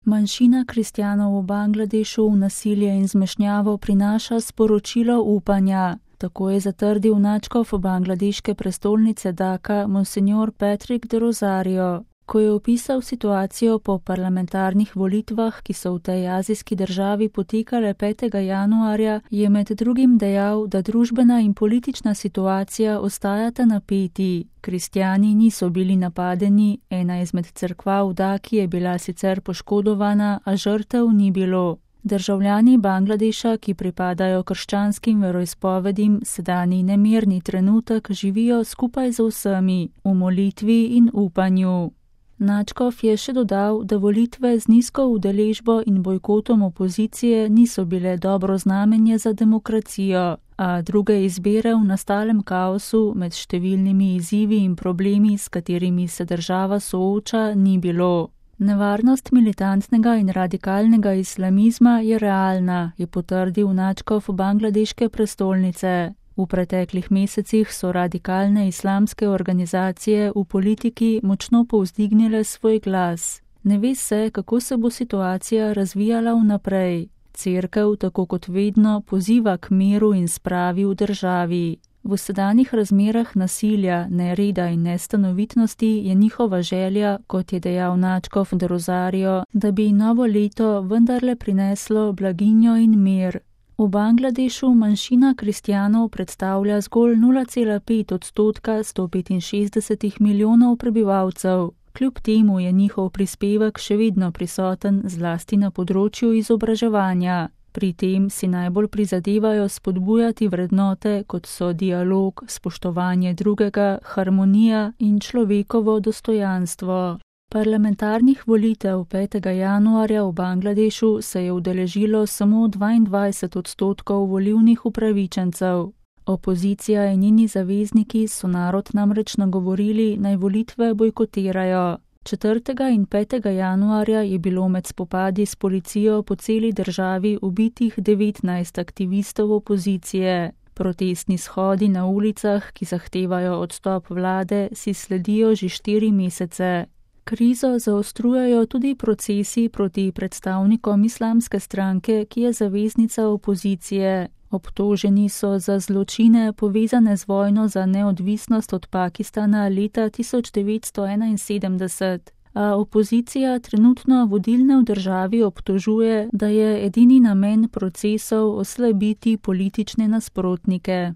Manjšina kristjanov v Bangladešu v nasilje in zmešnjavo prinaša sporočilo upanja. Tako je zatrdil nadškof bangladeške prestolnice Dhaka monsignor Patrick de Rosario, ko je opisal situacijo po parlamentarnih volitvah, ki so v tej azijski državi potekale 5. januarja, je med drugim dejal, da družbena in politična situacija ostajata napeti. Kristjani niso bili napadeni, ena izmed cerkva v Dhaki je bila sicer poškodovana, a žrtev ni bilo. Državljani Bangladeša, ki pripadajo krščanskim veroizpovedim, sedanji nemirni trenutek živijo skupaj z vsemi, v molitvi in upanju. Nadškof je še dodal, da volitve z nizko udeležbo in bojkotom opozicije niso bile dobro znamenje za demokracijo, a druge izbire v nastalem kaosu med številnimi izzivi in problemi, s katerimi se država sooča, ni bilo. Nevarnost militantnega in radikalnega islamizma je realna, je potrdil nadškof bangladeške prestolnice. V preteklih mesecih so radikalne islamske organizacije v politiki močno povzdignile svoj glas. Ne ve se, kako se bo situacija razvijala vnaprej. Cerkev, tako kot vedno, poziva k miru in spravi v državi. V sedanjih razmerah nasilja, nereda in nestanovitnosti je njihova želja, kot je dejal nadškof de Rosario, da bi novo leto vendarle prineslo blaginjo in mir. V Bangladešu manjšina kristjanov predstavlja zgolj 0,5% 165 milijonov prebivalcev. Kljub temu je njihov prispevek še vedno prisoten zlasti na področju izobraževanja. Pri tem si najbolj prizadevajo spodbujati vrednote, kot so dialog, spoštovanje drugega, harmonija in človekovo dostojanstvo. Parlamentarnih volitev 5. januarja v Bangladešu se je udeležilo samo 22% volilnih upravičencev. Opozicija in njeni zavezniki so narod namreč nagovorili, naj volitve bojkotirajo. 4. in 5. januarja je bilo med spopadi s policijo po celi državi ubitih 19 aktivistov opozicije. Protestni shodi na ulicah, ki zahtevajo odstop vlade, si sledijo že 4 mesece. Krizo zaostrujajo tudi procesi proti predstavnikom islamske stranke, ki je zaveznica opozicije. Obtoženi so za zločine povezane z vojno za neodvisnost od Pakistana leta 1971, a opozicija trenutno vodilne v državi obtožuje, da je edini namen procesov oslabiti politične nasprotnike.